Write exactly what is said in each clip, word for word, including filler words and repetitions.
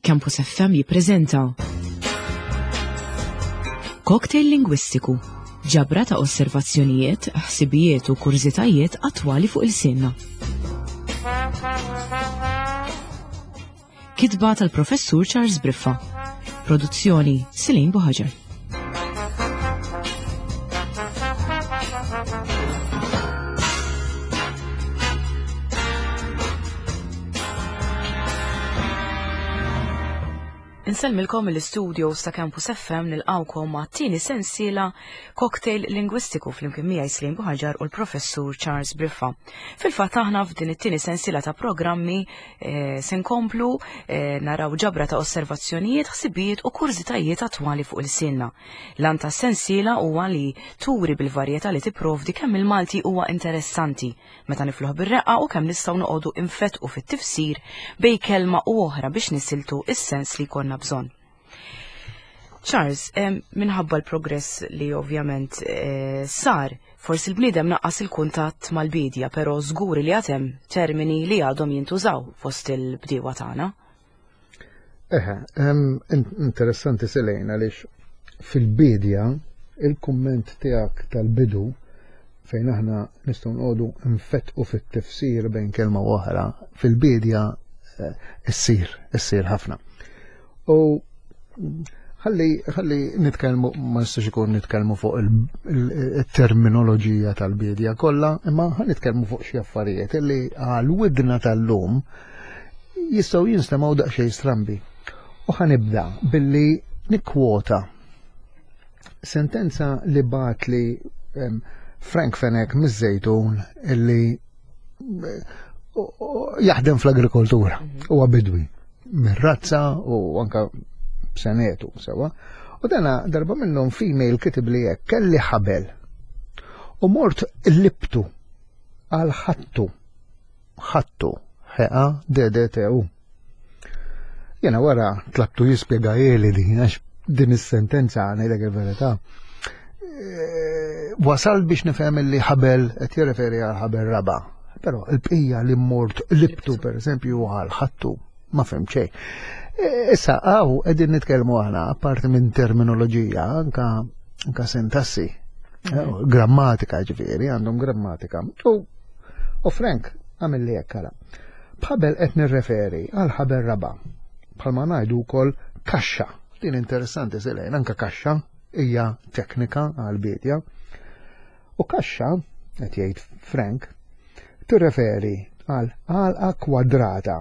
Campus F M jippreżenta Cocktail Lingwistiku, ġabra ta' osservazzjonijiet, ħsibijiet u kurżitajiet attwali fuq il-sinna. Kitba tal-Professur Charles Briffa. Produzzjoni Celine Buhaġar. Insellmilkom mill-istudios ta' Campus F M nilqawkom ma' tieni sensiela Cocktail Lingwistiku flimkien miegħi Celine Buhaġar u l-Professur Charles Briffa. Fil-fatt aħna f'din it-tieni sensiela ta' programmi, eh, se nkomplu, eh, naraw ġabra ta' osservazzjonijiet, ħsibijiet u kurżitajiet attwali fuq il-sinna. L-għan ta' sensiela huwa li turi bil-varjetà li tipprovdi kemm il-Malti huwa interessanti meta nifluh bir-reqqa u kemm nistgħu noqogħdu infetqu fit-tifsir bej kelma u oħra biex nisiltu is-sens li jkollna bżonn. Charles, em, minħabba l-progress li ovvjament, eh, sar, forsi l-bniedem naqqas il-kuntatt mal-bidja, però żgur li għad hemm termini li għadhom jintużaw fost il-bdiewa tagħna. Eħe, em, in-, interessanti Selena għaliex fil-bidja il-kumment tiegħek tal-bidu fejn aħna nistgħu nqogħdu nfettqu fit-tifsir bejn kelma u oħra, fil-bidja, eh, issir, issir ħafna. U ħalli, ħalli nitkellmu, ma nistax ikun nitkellmu fuq il-, il-, il-terminoloġija tal-bidja kollha, imma ħa nitkellmu fuq xi affarijiet illi għal widna tal-lum jistgħu jinstemgħu daqsxejn strambi. U ħa nibda billi nikkwota sentenza li bagħat li, em, Frank Fenech miż-Żejtun illi, eh, jaħdem fl-agrikoltura, Mhm. huwa bidwi mir-razza u anka senetu sewa. U dana darba minnhom female kitib li hekk, kelli ħabel u mort libtu għal ħattu, ħattu, H A D D T U. Jena wara tlabtu jispjega jeli din, għax din is-sentenza ngħidlek il-verità. Eh, wasal biex nifhem li ħabel qed jirreferi għal ħabel raba', però l-bqija li mort libtu pereżempju għal ħattu ma fhem xejn. E, issa hawn qegħdin nitkellmu aħna apparti minn terminoloġija anka, anka sintassi, eh, grammatika ġifieri, għandhom grammatika. U, u Frank għamel li hekk ara. B'ħabel qed nirreferi għal ħabel raba', bħalma ngħidu wkoll kaxxa. Din interessanti Selena, anka kaxxa hija teknika għal bidja. U kaxxa, qed jgħid Frank, tirreferi għal għalqa kwadrata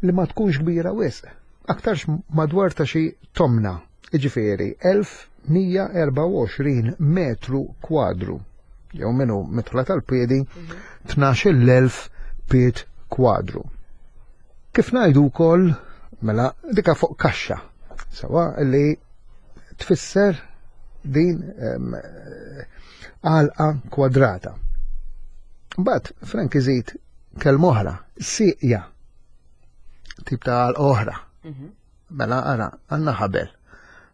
li ma tkunx kbira wisq, aktarx madwar ta' xi tomna, jiġifieri elf mija erba' u għoxrin metru kwadru, jew minnu mitħla tal-piedi tnax-il elf pied kwadru. Kif ngħidu wkoll, mela dika fuq kaxxa, sewa li tfisser din, em, għalqa kwadrata. Mbagħad Frank iżid kelma oħra, sieqja, tip ta' għalqa oħra. Mhm. Mela ara, għandna ħabel,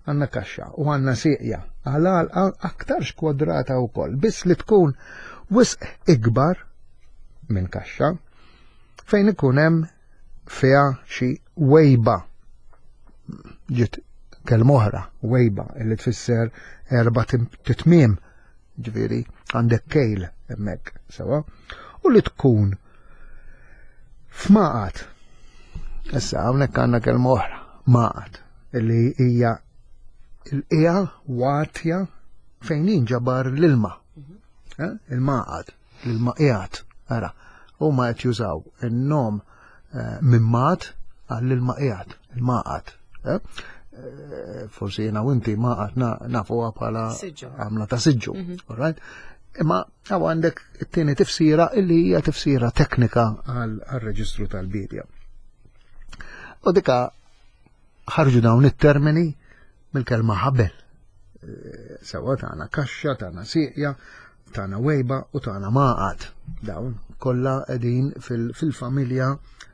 għandna kaxxa u għandna sieqja, għal għalqa aktarx kwadrata wkoll, biss li tkun wisq ikbar minn kaxxa fejn ikun hemm fiha xi wejba. Ġiet kelma oħra, wejba, illi tfisser erba' tim-, titmiem, ġifieri għandek kejl hemmhekk, sewa, u li tkun f'maqat. Issa hawnhekk għandna kelma oħra, maqat, illi hija l-qiegħa watja fejn jinġabar l-ilma. Mhm. Eh? Il-maqat, l-ilma qiegħed, ara, huma qed jużaw in-nom, eh, mimmat għall-ilma qiegħed, il-maqat. Eh? Eh, forsi jiena u inti maqat na-, nafuha bħala Siġġu. għamla ta' siġġu, Mhm. all right? Imma hawn għandek it-tieni tifsira illi hija tifsira teknika għal, għal-reġistru tal-bidja. U dika ħarġu dawn it-termini mill-kelma ħabel. Eh, sewa tagħna kaxxa, tagħna sieqja, tagħna wejba u tagħna maqat. Dawn kollha qegħdin fil-, fil-familja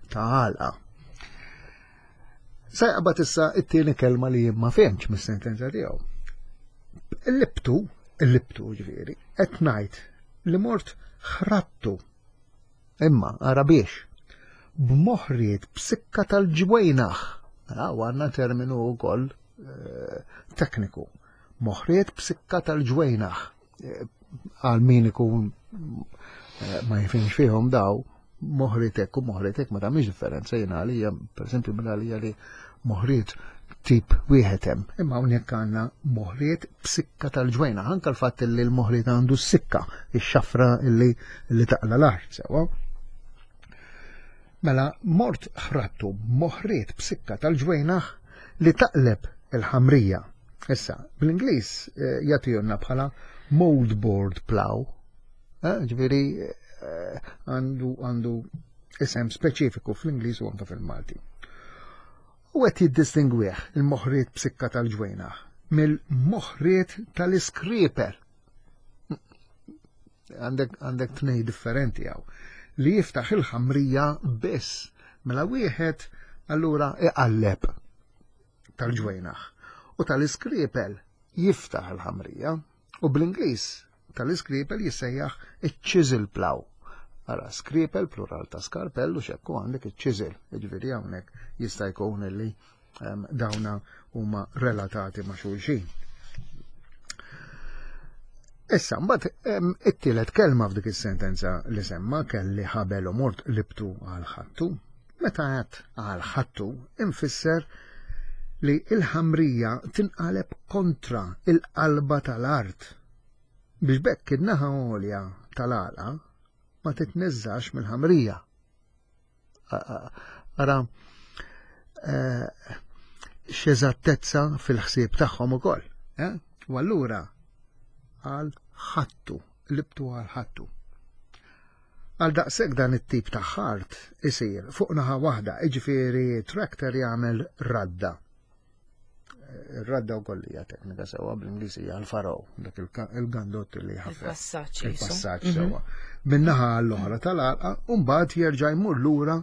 ta' għalqa. Se jaqbad issa it-tieni kelma li jien ma fehmx mis-sentenza tiegħu. Il-libtu, il-libtu ġifieri, qed ngħid li mort ħrattu. Imma ara biex b'moħriet b'sikka tal-ġwejnaħ. Mela għandna terminu wkoll eh, tekniku. Moħriet b'sikka tal-ġwejnaħ eh, għal min ikun eh, ma jifhimx fihom daw, moħritek u moħritek ma tagħmilx differenza. Jiena għalija, pereżempju, minn għalija li moħriet tip wieħed hemm. Imma hawnhekk għandna moħriet b'sikka tal-ġwejna, anke l-fatt li l-moħriet għandu s-sikka, ix-xafra li li taqla l-art sewwa. Mela mort ħrattu moħriet b'sikka tal-ġwejnaħ li taqleb il-ħamrija. Issa, bl-Ingliż eh, jagħtihulna bħala moldboard plow. Eh, ġifieri eh, għandu għandu isem speċifiku fl-Ingliż u anke fil-Malti. U qed jiddistingwih il-moħriet b'sikka tal-ġwejnaħ mill-moħriet tal-iskriper. Għandek għandek tnej differenti hawn li jiftaħ il-ħamrija biss. Mela wieħed allura iqalleb tal-ġwejnaħ u tal-iskripel jiftaħ il-ħamrija u bl-Ingliż tal-iskripel jissejjaħ iċ-chisel plow. Ara, skripel plural ta' skarpell u xekku għandek iċ-chisel, jiġifieri hawnhekk jista' jkun li um, dawna huma relatati ma' xulxin. Issa, mbagħad it-tielet kelma f'dik is-sentenza li semma, kelli ħabel u mort libtu għal ħattu. Meta għedt għal ħattu, infisser li il-ħamrija tinqaleb kontra il-qalba tal-art. Biex bekk in-naħa għolja tal-għalqa ma titneżżax mill-ħamrija. Ara, eh, x'eżattezza fil-ħsieb tagħhom ukoll. Eh? U allura għal ħattu, libtu għal ħattu. Għal daqshekk dan it-tip ta' ħart isir fuq naħa waħda, jiġifieri tractor jagħmel radda. Ir-radda wkoll hija teknika sewwa, bl-Ingliż hija l-furrow, dak il-gandott li ħafna. Il-passaġġ. Il-passaġġ mhm. sewwa. Min-naħa l-oħra tal-għalqa u mbagħad jerġa' jmur lura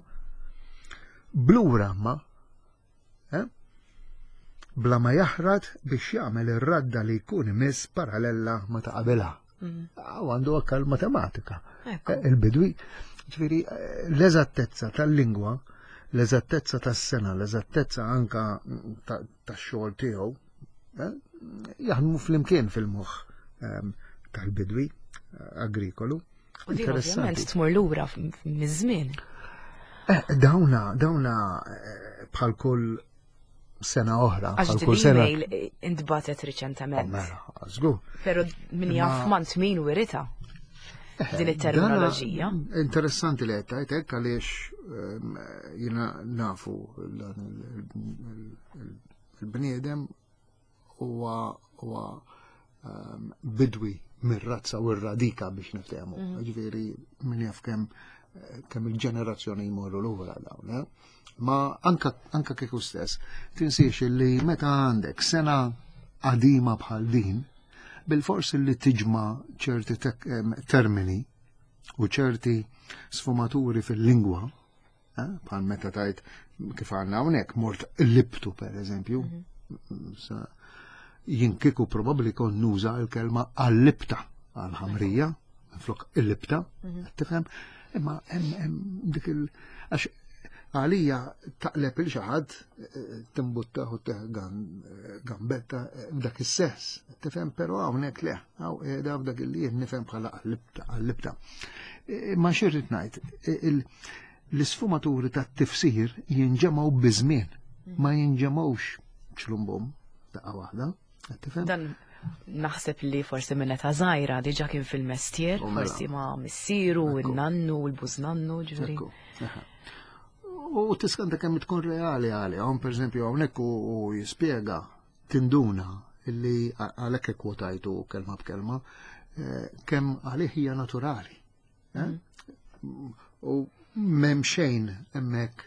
blura ma eh? bla ma jaħrat biex jagħmel ir-radda li jkun imiss parallela ma ta' qabilha. Mhm. Għandu anke l-matematika. Eh, il-bidwi. Ġifieri eh, l-eżattezza tal-lingwa, l-eżattezza tas-sena, l-eżattezza anka tax-xogħol tiegħu, eh, jaħdmu flimkien fil-moħħ ehm, tal-bidwi agrikolu. U din ovvjament tmur lura miż-żmien. Dawna, dawna bħal kull sena oħra. Għax kull sena intbatet riċentement. Oh, mela, żgur. Pero min jaf mant min wirita eh, din it-terminoloġija. Interessanti li qed hekk għaliex ehm, jiena nafu il-bniedem huwa huwa ehm, bidwi mir-razza u r-radika biex niftehmu. Mhm. Ġifieri min jaf kemm kemm il-ġenerazzjoni jmorru lura dawn. Eh? Ma anka, anka kieku stess, tinsiex li meta għandek sena qadima bħal din, bil-fors li tiġma ċerti termini u ċerti sfumaturi fil-lingwa, eh, bħal meta tajt kif għandna hawnhekk mort libtu per eżempju, mhm. jien kieku probabbli kon nuża l-kelma għall-libta għal-ħamrija, flok il-libta, mhm. tifhem? Imma hemm dik il- għax għalija taqleb il xi ħadd eh, timbutta u gambetta eh, f'dak is-sens. Tifhem, però hawnhekk le, hawn qiegħda f'dak il jien nifhem bħala għall-libta. Eh, ma xirrid ngħid, l-isfumaturi tat-tifsir jinġemgħu biżmien, ma jinġemgħux ċlumbum daqqa waħda. Tifhem? Dan naħseb li forsi minn età żgħira diġà kien fil-mestier, U mela. forsi ma' missieru, Ekku. il-nannu, il-bużnannu, ġifieri. Ekku, aha. U tiskanta kemm tkun reali għalihom, per eżempju, hawnhekk u u jispjega tinduna illi għalhekk ikkwotajtu kelma b'kelma, eh, kemm għalih hija naturali. eh? U m'hemm xejn hemmhekk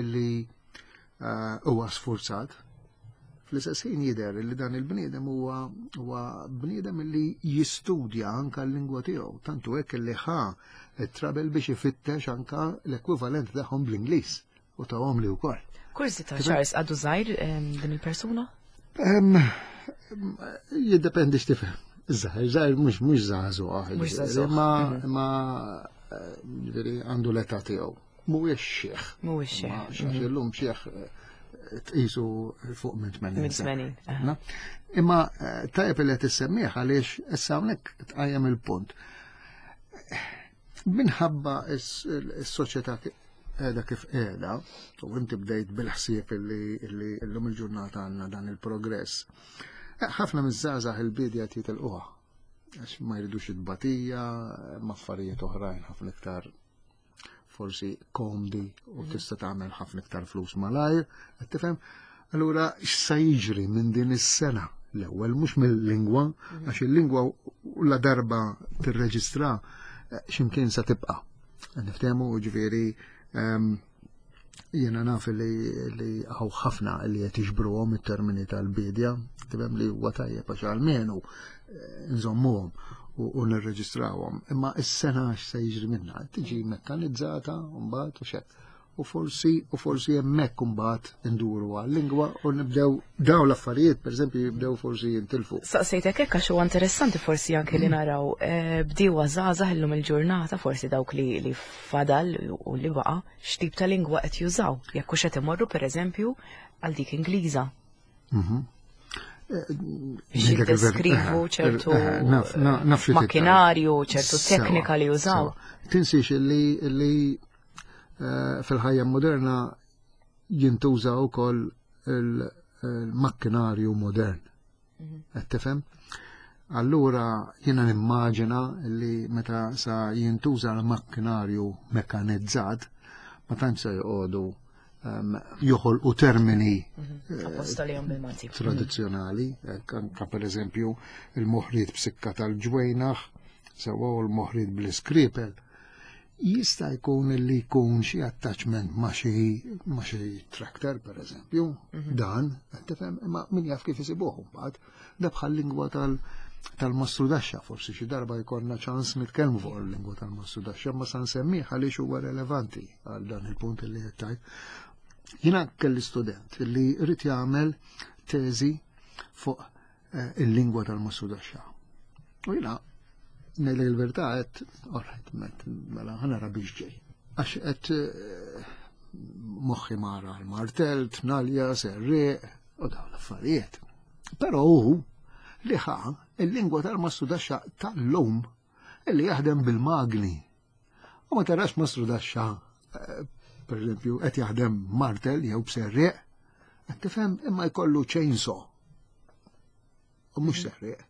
illi eh, huwa sfurzat. Fl-istess ħin jidher li dan il-bniedem huwa huwa bniedem illi jistudja anka l-lingwa tiegħu, tantu hekk illi ħa it-trouble biex ifittex anka l-ekwivalent tagħhom bl-Ingliż u tawhom li wkoll. Kurżità, Charles, għadu żgħir em, din il-persuna? Em, Jiddependi x'tifhem. Żgħir, żgħir mhux mhux żagħżugħ. Mhux żagħżugħ. Ma ma eh, ġifieri għandu l-età tiegħu. Mhuwiex xiħ. Mhuwiex xiħ. Ma xi illum xiħ eh, tqisu fuq minn tmenin sena. Imma tajjeb li qed issemmih għaliex issa hawnhekk tqajjem il-punt. Minħabba s-soċjetà qiegħda kif qiegħda, u inti bdejt bil-ħsieb li llum il-ġurnata għandna dan il-progress. Ħafna miż-żgħażagħ il-bidja jitilquha għax ma jridux it-tbatija, ma affarijiet oħrajn ħafna iktar forsi komdi u tista' tagħmel ħafna iktar flus malajr, qed tifhem? Allura x'sa jiġri minn din is-sena? L-ewwel mhux mill-lingwa, għax il-lingwa la darba tirreġistra x'imkien sa tibqa'. Niftehmu, ġifieri jiena naf li li hawn ħafna li qed jiġbruhom it-termini tal-bidja, tifhem, li huwa tajjeb għax almenu nżommuhom u nirreġistrawhom. Imma is-sena x'se jiġri minnha? Tiġi mekkanizzata mbagħad u xek. U forsi u forsi hemmhekk imbagħad induru għal-lingwa u nibdew daw l-affarijiet, pereżempju, jibdew forsi jintilfu. Saqsejtek hekk għax huwa interessanti forsi anke li naraw eh, bdiewa żgħażagħ illum il-ġurnata, forsi dawk li li fadal u li baqa', x'tip ta' lingwa qed jużaw. Jekk hux qed imorru, pereżempju, għal dik Ingliża. Mhm. Biex jiddeskrivu ċertu makkinarju, ċertu teknika li jużaw. Tinsiex li li eh, fil-ħajja moderna jintuża wkoll il-makkinarju modern. Mhm. Qed tifhem? Allura jiena nimmaġina li meta sa jintuża l-makkinarju mekkanizzat, ma tantx se joqogħdu um, joħolqu termini mhm. apposta li bil-Malti. Tradizzjonali, anka per eżempju il-moħriet b'sikka tal-ġwejnaħ, sewa, u l-moħriet bl-iskripel. Jista' jkun li jkun xi attachment ma' xi ma' xi tractor, per eżempju, mhm. dan, qed tifhem, imma min jaf kif isibuh mbagħad, da bħal lingwa tal tal-mastrudaxxa, forsi xi darba jkollna ċans nitkellmu fuq il-lingwa tal-mastrudaxxa, ma sa nsemmih għaliex huwa relevanti għal dan il-punt li qed tajt. Jiena kelli student li rrid jagħmel teżi fuq eh, il-lingwa tal-mastrudaxxa. U jiena ngħidlek il-verità qed, alright, mela ħa nara biex ġej. Għax qed eh, moħħi mara l-martell, tnalja, serriq, u dawn l-affarijiet. Però hu li ħa il-lingwa tal-mastrudaxxa tal-lum li jaħdem bil-magni. U ma tarax mastrudaxxa, eh, per eżempju, qed jaħdem martell jew b'serriq, qed tifhem, imma jkollu chainsaw. U mhux serriq.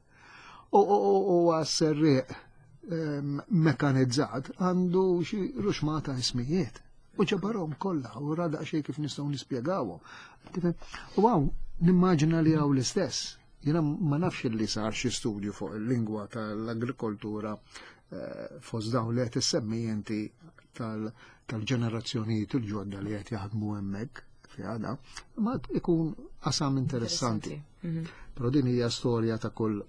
U għas-serriq mekanizzat għandu xi ruxmata ismijiet. U ġabarhom kollha u ra daqsxejn kif nistgħu nispjegawhom. U hawn nimmaġina li hawn l-istess. Jiena ma nafx li sar xi studju fuq il-lingwa tal-agrikoltura eh, fost dawn li qed issemmi inti tal-ġenerazzjonijiet il-ġodda li qed jaħdmu hemmhekk fi għada, ma ikun qasam interessanti. Mhm. Però din hija storja ta' kull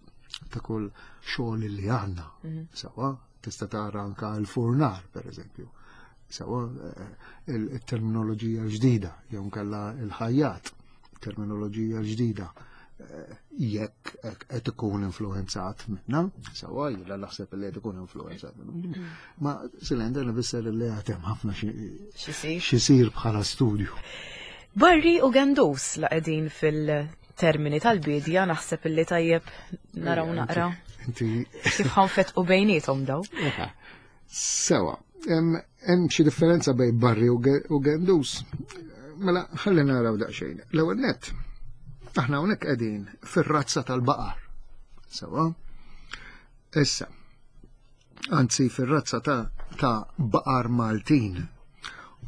ta' kull xogħol li għandna. Mhm. Sawa, tista' tara anka l-furnar, per eżempju. Sawa, eh, il-terminoloġija ġdida, jew nkella il-ħajjat, terminoloġija ġdida. Eh, jekk qed ikun influenzat minna, sawa, jiena naħseb li qed ikun influenzat minna. Ma Silender nifisser li għad hemm ħafna xisir bħala studju. Barri u gendus, la qegħdin fil-termini tal-bidja, naħseb illi tajjeb naraw naqra. Inti kif ħa nfetqu bejniethom daw. Sewa, hemm xi differenza bejn barri u gendus. Mela, ħalli naraw daqsxejn. L-ewwel nett, aħna hawnhekk qegħdin fir-razza tal-baqar. Sewa. Issa, anzi fir-razza ta', ta baqar Maltin.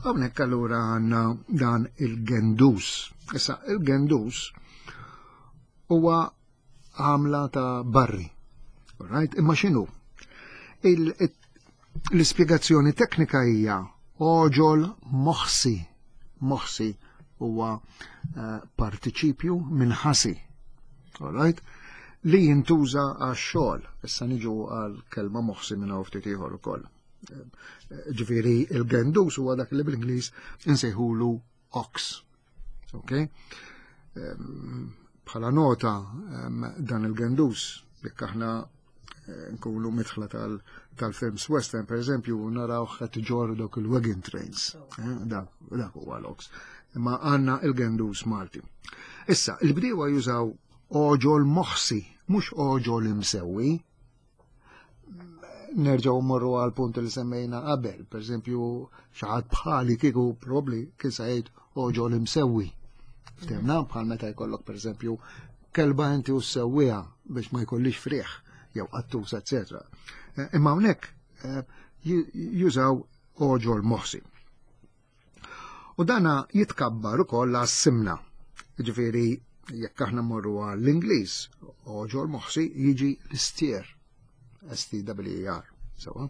Hawnhekk allura għandna dan il-gendus. Issa, il-gendus huwa għamla ta' barri. Right? Imma x'inhu? L-ispjegazzjoni teknika hija oġol moħsi. Moħsi huwa uh, partiċipju minn ħasi. Alright? Li jintuża għax-xogħol. Issa niġu għal kelma moħsi minn hawn ftit ieħor ukoll. Ġifieri il-gendus huwa dak li bl-Ingliż insejħulu ox. Ok? Bħala nota, dan il-gendus, jekk aħna eh, nkunu midħla tal-films western, per eżempju, naraw qed iġorru dawk il-wagon trains. Eh, dak huwa l-ox. Imma għandna il-gendus Malti. Issa, il-bdiewa jużaw oġol moħsi, mhux oġol imsewwi. Nerġgħu mmorru għal punt li semmejna qabel, per eżempju, xi ħadd bħali kieku probabbli kien se jgħid oġol imsewwi. Ftehmna bħal meta jkollok per eżempju kelba inti u ssewwiha biex ma jkollix frieħ jew qattus, eċetera. Imma hawnhekk jużaw oġol moħsi. U dana jitkabbar ukoll għas-simna. Ġifieri jekk aħna mmorru għall-Ingliż, oġol moħsi jiġi l-istier. S T W E R. Sewa.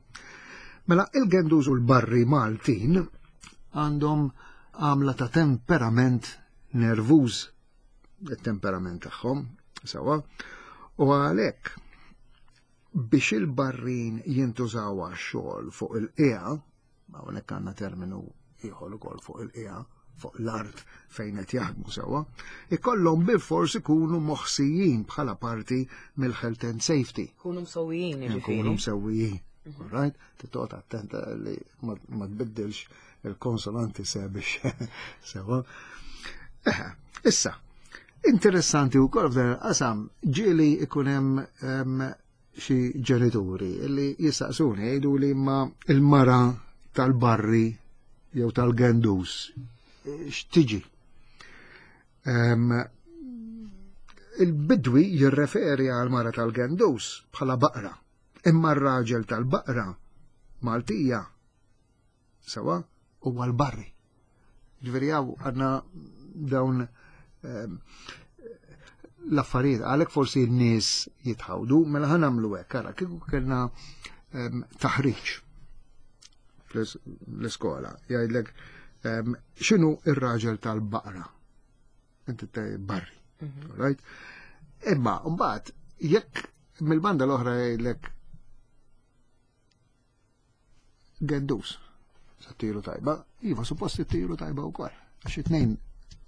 Mela il-gendus u l-barri Maltin għandhom għamla ta' temperament nervuż, il-temperament tagħhom, sewa, u għalhekk biex il-barrin jintużaw għax-xogħol fuq il-qiegħa, hawnhekk għandna terminu ieħor ukoll fuq il-qiegħa, fuq l-art fejn qed jaħdmu sewwa, ikollhom bilfors ikunu moħsijin bħala parti mill-health and safety. Ikunu msewwijin, jiġifieri. Ikunu msewwijin. Right? Titqgħod attenta li ma tbiddilx il-konsonanti sebiex sewwa. Issa, interessanti wkoll f'dan il-qasam ġieli ikun hemm xi ġenituri li jistaqsuni jgħidu li ma il-mara tal-barri jew tal-gendus x'tiġi. Il-bidwi jirreferi għal mara tal-gendus bħala baqra, imma r-raġel tal-baqra Maltija sewa huwa l-barri. Ġifieri hawn għandna dawn l-affarijiet, għalhekk forsi n-nies jitħawdu, mela ħa nagħmlu hekk, ara kieku kellna taħriġ fl-iskola, jgħidlek x'inhu ir-raġel tal-baqra? Inti tgħid barri. Right? Imma mbagħad jekk mill-banda l-oħra jgħidlek gendus, sa tiru tajba, iva suppost tiru tajba wkoll. Għax it-tnejn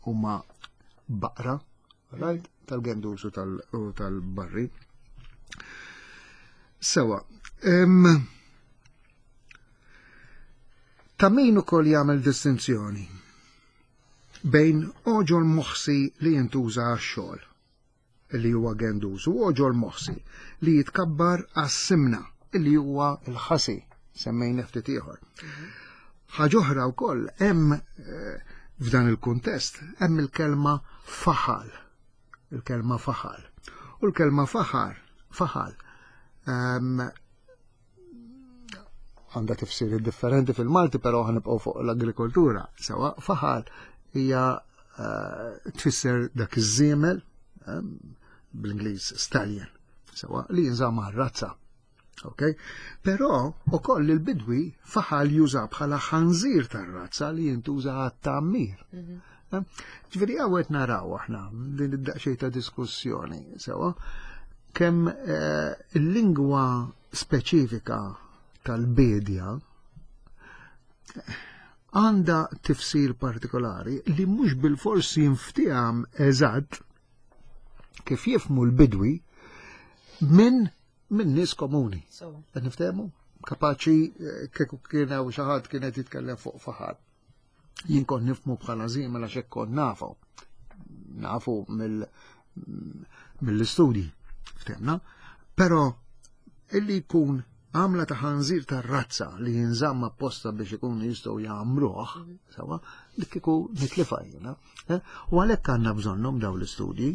huma baqra, right? Tal-gendus u tal-barri. Sewa, ta' min ukoll jagħmel distinzjoni bejn oġol moħsi li jintuża għax-xogħol, li huwa gendus, u oġol moħsi li jitkabbar għas-simna, li huwa l-ħasi, semmejna ftit ieħor. Ħaġa oħra wkoll hemm f'dan il-kuntest hemm il-kelma faħal, il-kelma faħal. U l-kelma faħar, faħal, għandha tifsiri differenti fil-Malti, però ħanibqgħu fuq l-agrikoltura. Sewa, faħal hija tfisser dak iż-żiemel, bl-Ingliż stallion, sewa, li jinżamm għar-razza. Okay? Però ukoll il-bidwi faħal juża bħala ħanżir tar-razza li jintuża għat-tgħammir. Ġifieri hawn qed naraw aħna din id-daqsxejn ta' diskussjoni, sewa, kemm il-lingwa speċifika tal-bedja għandha tifsir partikolari li mhux bilfors jinftiham eżatt kif jifhmu l-bidwi minn minn nies komuni. Qed niftehmu? Kapaċi kieku kien hawn xi ħadd kien qed jitkellem fuq faħar. Jien kont nifhmu bħala żiemel għax hekk kont nafu. Nafu mill-istudji, ftehmna? Però illi jkun għamla ta' ħanżir tar-razza li jinżamm apposta biex ikunu jistgħu jagħmruh, sewa, dik kieku nitlifa jiena. U għalhekk għandna bżonnhom dawn l-istudji,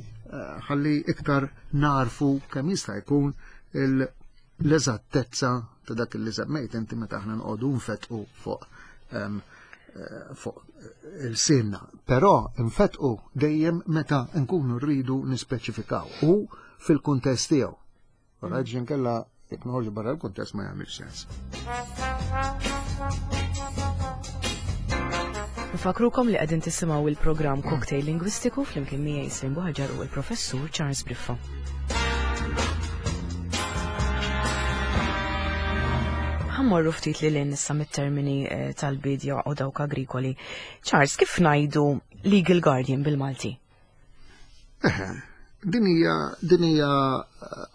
ħalli iktar narfu kemm jista' jkun l-eżattezza ta' dak li semmejt inti meta aħna nqogħdu nfetqu fuq fuq il-sinna. Però nfetqu dejjem meta nkunu rridu nispeċifikaw u fil-kuntest tiegħu. Raġġin kella jekk noħorġu barra l-kuntest ma jagħmilx sens. Nfakrukom li qegħdin tisimgħu il-programm Cocktail Lingwistiku flimkien miegħi Celine Buhagiar u l-Professur Charles Briffa. Ħammorru ftit li lin issa mit-termini tal-bidja u dawk agrikoli. Charles, kif ngħidu legal guardian bil-Malti? Eħe, din hija din hija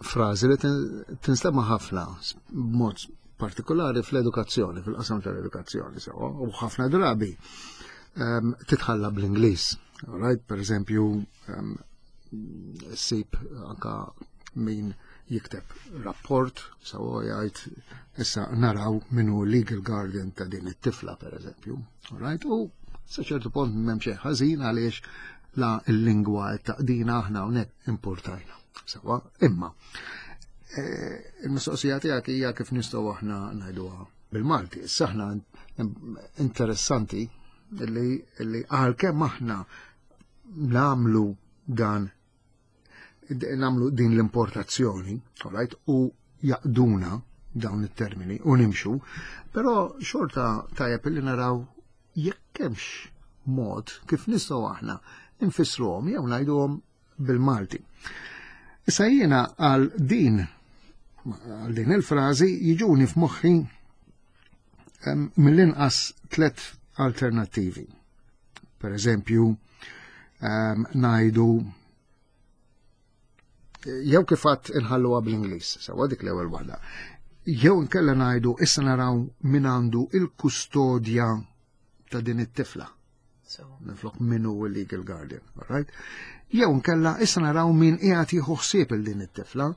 frażi li tinstema' ħafna b'mod partikolari fl-edukazzjoni, fil-qasam tal-edukazzjoni sewa, u ħafna drabi um, titħalla bl-Ingliż. Right? Per eżempju, um, ssib anka min jikteb rapport, sawa jgħid issa naraw minu legal guardian ta' din it-tifla, per eżempju. Right? U sa ċertu punt m'hemm xejn ħażin għaliex la l-lingwa taqdina, aħna hawnhekk importajna. Sawa, imma eh, il-mistoqsija tiegħek hija kif nistgħu aħna ngħiduha bil-Malti. Issa aħna interessanti li li għalkemm aħna nagħmlu dan nagħmlu din l-importazzjoni, alright, u jaqduna dawn it-termini u nimxu, però xorta tajjeb li naraw jekk hemmx mod kif nistgħu aħna nfissruhom jew ngħiduhom bil-Malti. Issa jiena għal din għal din il-frażi jiġuni f'moħħi mill-inqas tlet alternattivi. Per eżempju, ngħidu jew kif għedt inħalluha bl-Ingliż, sewa, dik l-ewwel waħda. Jew nkella ngħidu issa naraw min għandu il-kustodja ta' din it-tifla. Minflok min hu il-legal guardian, right? Jew nkella issa naraw min qiegħed jieħu ħsieb il din it-tifla,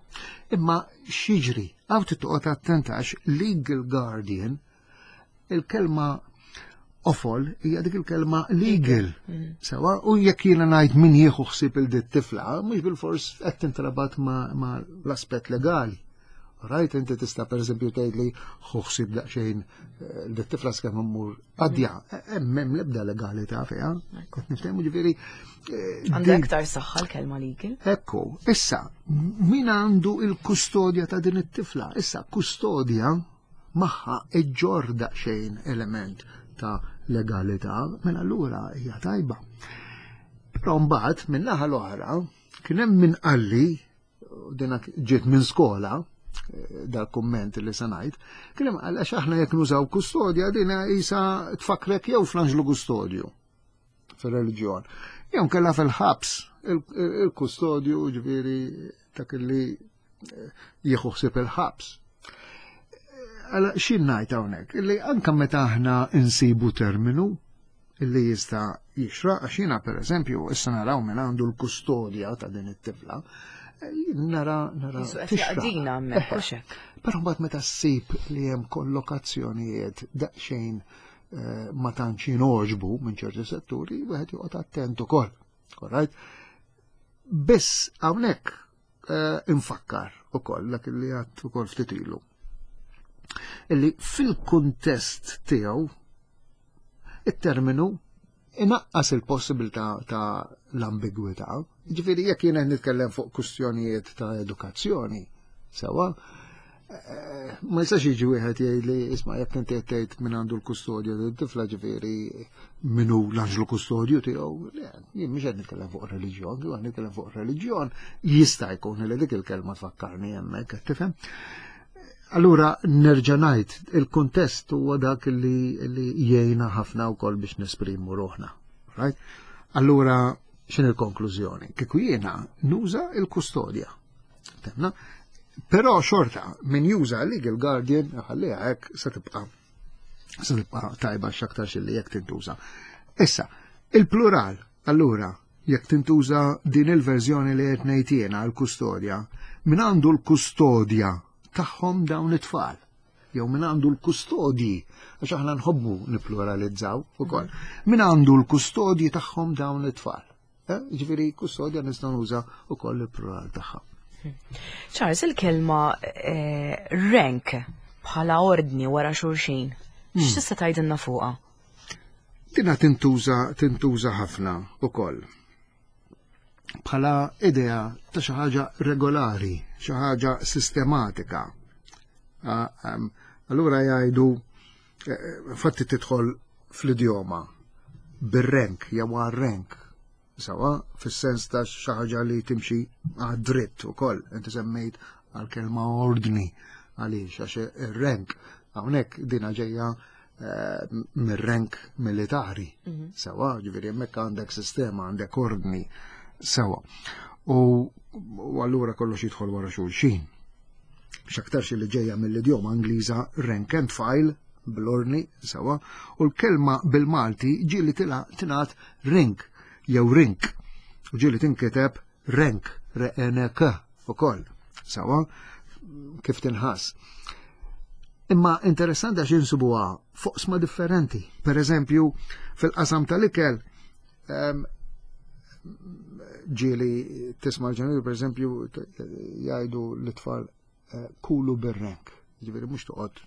imma x'jiġri, hawn toqgħod attenta għax legal guardian, il-kelma qofol hija dik il-kelma legal. Mm. Sewa, u jekk jiena ngħid min jieħu ħsieb il dit tifla, mhux bil-fors qed tintrabat ma, ma l-aspett legali. Right, inti tista' per eżempju tgħid li ħu ħsieb daqsxejn eh, dit tifla skemm immur għadja, hemm hemm l-ebda legalità fiha. Qed niftehmu, ġifieri. Eh, Għandha aktar saħħa l-kelma legal. Ekku, issa, min għandu il-kustodja ta' din it-tifla? Issa, kustodja magħha iġġorr daqsxejn element ta' legalità, mela allura hija tajba. Però mbagħad min-naħa l-oħra kien hemm min qalli, dina ġiet minn skola, eh, dal-kumment li se ngħid, kien hemm għax aħna jekk nużaw kustodja dina isa tfakrek jew fl-anġlu kustodju fil-reliġjon. Jew kella fil-ħabs il-kustodju, ġifieri dak li eh, jieħu ħsieb il-ħabs. Għala xin ngħid hawnhekk, illi anka meta aħna insibu terminu illi jista' jixraq, għax jiena per eżempju issa naraw minn għandu l-kustodja ta' din it-tifla, nara nara. Tixraq. Hemmhekk. Però mbagħad meta ssib li hemm kollokazzjonijiet daqsxejn eh, ma tantx jingħoġbu minn ċerti setturi, wieħed joqgħod attent ukoll. Alright? Biss hawnhekk eh, infakkar ukoll dak li għedt ukoll ftit ilu. Illi fil-kuntest tiegħu it-terminu inaqqas il-possibilità ta' l-ambigwità. Ġifieri jekk jiena nitkellem fuq kwistjonijiet ta' edukazzjoni, sewa, eh, ma jistax jiġi wieħed jgħid li isma' jekk inti qed tgħid min għandu l-kustodju tat-tifla, ġifieri min hu l-anġlu kustodju tiegħu. Le, jien mhux qed nitkellem fuq reliġjon, jien qed nitkellem fuq reliġjon, jista' jkun li dik il-kelma tfakkarni hemmhekk, qed tifhem? Allura nerġa' ngħid, il-kuntest huwa dak li, li jgħinna ħafna wkoll biex nesprimu ruħna. Right? Allura x'in il-konklużjoni? Kieku jiena nuża il-kustodja. Temna? Però xorta min juża legal guardian ħalliha hekk, se tibqa' se tibqa' tajba x'aktar li jekk tintuża. Issa, il-plural, allura, jekk tintuża din il-verżjoni li qed ngħid jiena, l-kustodja, min għandu l-kustodja tagħhom dawn it-tfal, jew min għandu l-kustodji, għax aħna nħobbu nipluralizzaw ukoll. Min għandu l-kustodji tagħhom dawn it-tfal? Eh, Ġifieri kustodja nistgħu nuża ukoll il-plural tagħha. Charles, il-kelma eh, rank bħala ordni wara xulxin, x'tista' tgħidilna fuqha? Dina tintuża tintuża ħafna ukoll bħala idea ta' xi ħaġa regolari, xi ħaġa sistematika. Ah, em, Allura jgħidu, eh, fatti tidħol fl-idjoma bir-rank jew għar-rank. Sawa, fis-sens ta' xi ħaġa li timxi għad-dritt ukoll. Inti semmejt għal-kelma ordni, għaliex għax ir-rank hawnhekk dina ġejja eh, mir-rank militari. Sewa, ġifieri hemmhekk għandek sistema, għandek ordni. Sewa. U, u allura kollox jidħol wara xulxin. X'aktarx li ġejja mill-idjoma Ingliża rank and file, bl-ordni, sewwa, u l-kelma bil-Malti ġieli tingħad rink jew rink, u ġieli tinkiteb renk, R N K ukoll, sewwa, kif tinħass. Imma interessanti għax insibuha f'oqsma differenti. Per eżempju, fil-qasam tal-ikel, ġieli tisma' ġenituri, per eżempju, jgħidu l-tfal eh, kulu bir-renk. Ġifieri mhux toqgħod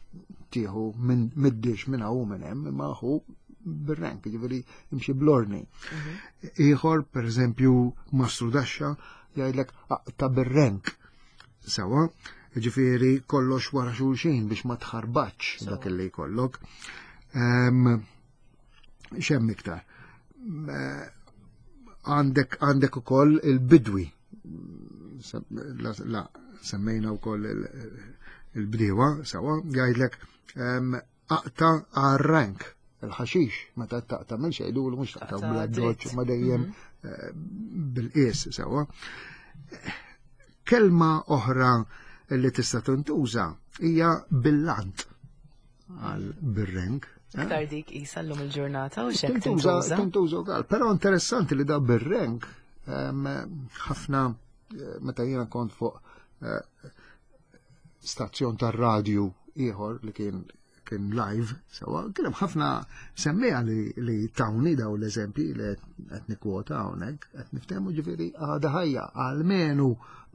tieħu minn mid-dix minn hawn minn hemm, imma ħu bir-renk, ġifieri imxi bl-ordni. Mhm. Ieħor, per eżempju, mastru daxxa jgħidlek aqta' bir-renk. Sewwa, ġifieri kollox wara xulxin biex ma tħarbaċ dak li jkollok. X'hemm iktar? Għandek għandek ukoll il-bidwi. La, semmejna wkoll il-bdiewa, sewwa, jgħidlek aqta' għar-renk il-ħaxix, meta taqta' minn xejdu mhux taqta' bl-addoċ, ma dejjem mhm. eh, bil-qies, sewwa. Kelma oħra li tista' tintuża hija bil-lant għal bir-renk. Eh? Iktar dik isa llum il-ġurnata u xek tintuża. Tintuża wkoll, però interessanti li da bir-renk ħafna eh, meta jiena kont fuq eh, stazzjon tar-radju ieħor li kien kien live, sewwa, kien hemm ħafna semmiegħa li, li tawni daw l-eżempji li qed nikkwota hawnhekk, qed niftehmu, ġifieri għadha ħajja almenu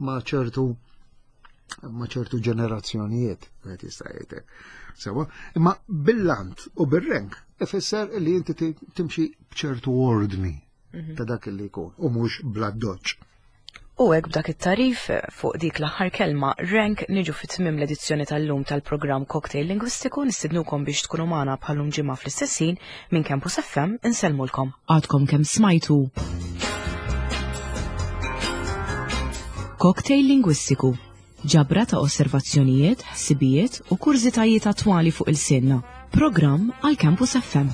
ma' ċertu ma' ċertu ġenerazzjonijiet, qed jista' jgħidek. Sewwa, imma bil-lant u bir-renk ifisser li inti timxi b'ċertu ordni mhm. ta' dak li jkun u mhux bl-addoċ. U hekk b'dak it-tarif fuq dik l-aħħar kelma renk niġu fit tmim l-edizzjoni tal-lum tal-programm Cocktail Lingwistiku. Nistidnukom biex tkunu magħna bħal-lum ġimgħa fl-istess ħin. Minn Campus F M insellmulkom. Għadkom kemm smajtu Cocktail Lingwistiku, ġabra ta' osservazzjonijiet, ħsibijiet u kurżitajiet attwali fuq ilsienna. Programm għal Campus F M.